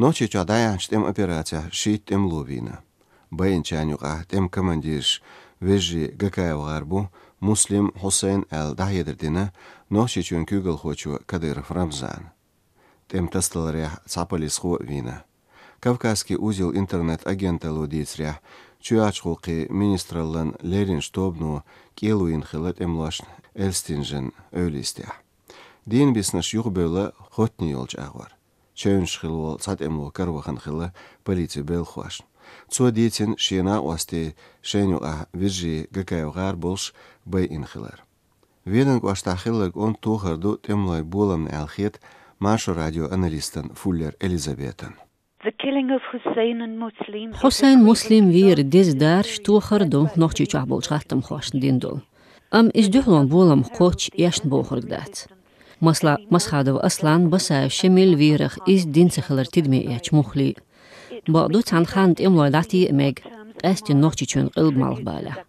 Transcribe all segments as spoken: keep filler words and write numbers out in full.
Нохчийчохь дӀаяьхьначу тӀеман операцехь шийтта тӀемало вийна. Байинчарна юкъахь тӀеман командираш вежарий ГакаевгӀар бу, Муслим, Хьусайн аьлла дӀахьедар дина Нохчийчоьнан куьйгалхочо Кадыров Рамзана. ТӀеман тасадаларехь цхьа полисхо а вийна. «Кавказский узел» интернет-агенталло дийцарехь, чоьхьарчухула министраллан лерринчу тобано кӀело йина хилла тӀемалошна Эльстинжан эвла йистехь. Дийнан биснарш юхабевлла хоттане йолчу агӀор. Чевнаш хилла волу цхьа тӀемало каравахана хилла полицин белхалошна. Цо дийцина шен накъостий шайна юкъахь вежарий ГакаевгӀар болуш байина хилар. Веданан кӀоштахь хилларг онда тохар ду тӀемалойн боламна аьлла хета Маршо радион аналистана Фуллер Элизабетана. The killing of Hussein and Muslim is a Хьусайн, Муслим вер деза дарж тохар ду Нохчийчохь болчу хаттамхошна дина долу. Амма иза дуьхьалон болам кхоччуш эшна бохург дац. Масала, Масхадов Аслан, Басаев Шемил верах иза дина ца хилар тидаме эцча муххале а. Бакъду, цхьана ханна тӀемалой дӀатеа а мега, къаьсттина Нохчийчоьнан къилба малхбалехь.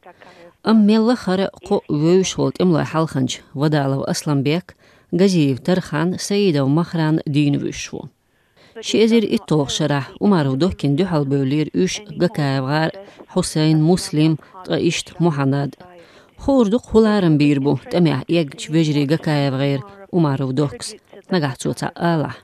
Амма мелла а хӀара кхоъ вевзаш волу тӀемалойн хьалханча Вадалов Асламбек, Газиев Тархан, Саидов Махран дийна вуьсуш ву. Ши эзар итталгӀачу шарахь Умаров Доккина дуьхьалбевллера уьш: ГакаевгӀар, Хьусайн, Муслим, ткъа иштта Мухьаннад. Хуур ду-кх, хӀун ларам бийр бу тӀамехь эгначу вежарий ГакаевгӀера Умаров Доккас, нагахь цо цхьаъ алахь.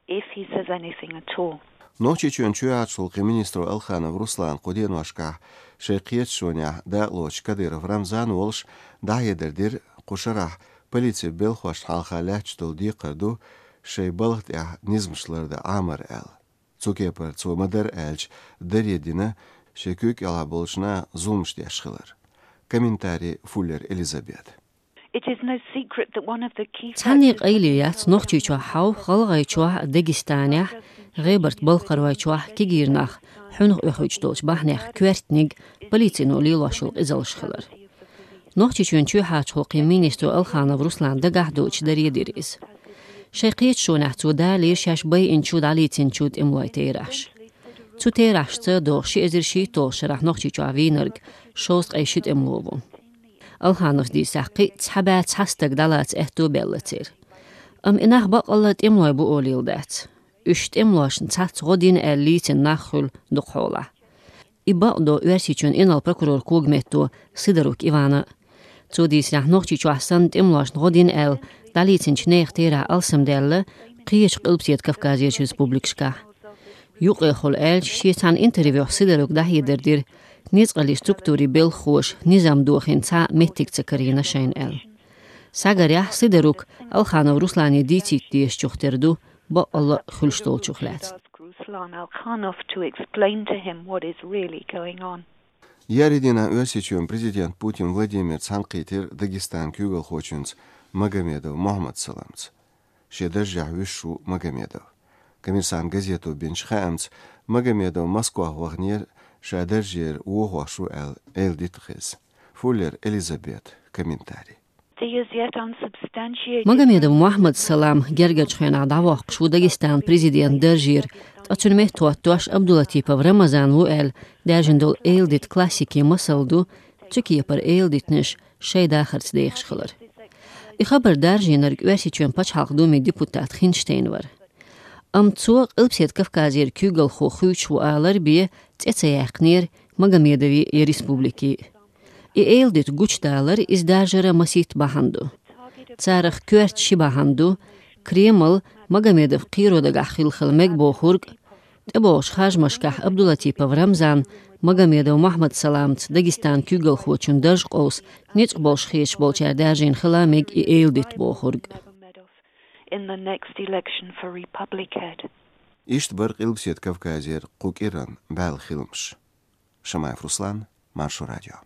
If he says anything at all. Нохчийчоьнан чоьхьарчу гӀуллакхийн министро Алханов Руслана кху деношкахь шайн кхеташонехь дакъалоцучу Кадыров Рамзана волуш дӀахьедар дира кху шарахь полицин белхалошна хьалха лаьтташ долу декхар ду шайн балха тӀехь низамаш лардан Ӏамар аьлла. Цу кепара цо ма-дарра аьлча даре дина шен куьйга кӀелахь болчу наха зуламаш деш хилар. Комментарий Фуллер Элизабет. It is no secret that one of the key Цхьанне а къайле яц, Нохчийчохь хьовха, ГӀалгӀайчохь а, Дагестанехь а, ГӀебарта-Балкхаройчохь а кегийра нах хьуьнах оьхуьйтуш долчу бахьанех коьртаниг полицино лелош йолу къизаллаш хилар. Нохчийчоьнан чоьхьарчу гӀуллакхийн министро Алханов Руслана дагахь доцуш даре дира иза. Шайн кхеташонехь цо далийра шаьш байинчу, дӀалийцинчу тӀемалойн терахьаш. Цу терахьашца догӀуш ши эзар шийтталгӀачу шарахь Нохчийчохь вийнарг шовзткъе ши тӀемало ву. Алхановс дийцарехь, кхин а цхьа бӀе цхьа стаг дӀалаца аьтто баьлла церан. Амма и нах баккъалла а тӀемалой бу олийла дац. Уьш тӀемалошна цхьацца гӀо дина аьлла лийцина нах хуьлу дукхахьолахь. И бакъдо Оьрсийчоьнан инарла прокуроран когаметто Сидорук Ивана. Цо дийцарехь, Нохчийчохь санна тӀемалошна гӀо дина аьлла дӀалийцинчу нехан терахь алсамдаьлла кхечу Къилбаседа Кавказерчу республикашкахь. Юккъехула аьлча, шен цхьана интервьюхь Сидорука дӀахьедар дира ницкъаллин структурийн белхахоша низам дохийна цхьа а меттиг ца карийна шайна аьлла. Схьагарехь, Сидорук Алханов Руслане дийцийта дезачух тера ду, баккъалла а хуьлуш долчух лаьцна. Ruslan Alkhanov to explain to him what is really going on. Еарин дийнахь Оьрсийчоьнан президент Путин Владимир цхьаьнакхийтира Дагестанан куьйгалхочуьнца Магомедов Мухьаммад-Саламца. Шен даржехь вуьсуш ву Магомедов. «Коммерсант» газето бинчу хаамца, Магомедов Москвахь ваханера ша даржера вохош ву аьлла, эладита хеза. Фуллер Элизабет, комментарий. The as yet unsubstantiated Магомедов Мухьаммад-Салам гергарчу хенахь дӀавоккхуш ву Дагестанан президентан даржера, ткъа цуьнан метта хӀоттош Абдулатипов Рамазан ву аьлла даьржина долу эладита классикийн масал ду цу кепара эладитанаш шайн дахарца дехаш хилар. И хабар даржийнарг Оьрсийчоьнан Пачхьалкхан Думин депутат Хинштейн вара. Амма цо Къилбаседа Кавказера куьйгалхо хуьйцуш ву алар бен цӀе ца яьккхинера Магомедовн я республикин. И эладита гучудалар, иза даржара масийтта бахьана ду. Царах коьрта ши бахьана ду: Кремль Магомедов кхеро дагахь хилла хила мега бохург, тӀебогӀучу харжамашкахь Абдулатипов Рамзан Магомедов Мухьаммад-Саламца Дагестанан куьйгалхочун дарж къовса ницкъ болуш хеташ болчара даьржийна хила мега и эладита бохург. In the next election for Republic Head. Иштта бара Къилбаседа Кавказера кху кӀиранан баьлла хиламаш. Шамаев Руслан, Маршо радио.